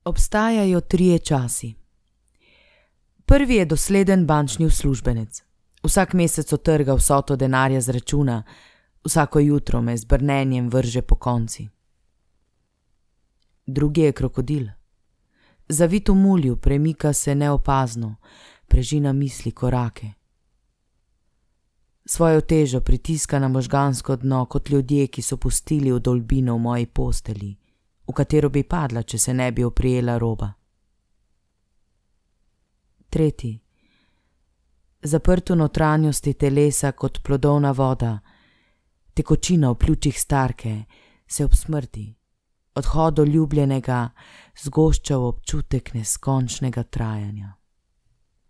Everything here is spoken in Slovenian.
Obstajajo trije časi. Prvi je dosleden bančni uslužbenec. Vsak mesec odtrga vsoto denarja z računa, vsako jutro me z brnenjem vrže pokonci. Drugi je krokodil. Zavit v mulju, premika se neopazno, prežina misli korake. Svojo težo pritiska na možgansko dno kot ljudje, ki so pustili vdolbino v moji postelji, v katero bi padla, če se ne bi oprijela roba. Tretji. Zaprt v notranjosti telesa kot plodovna voda, tekočina v pljučih starke, se ob smrti, odhodu ljubljenega, zgošča v občutek neskončnega trajanja.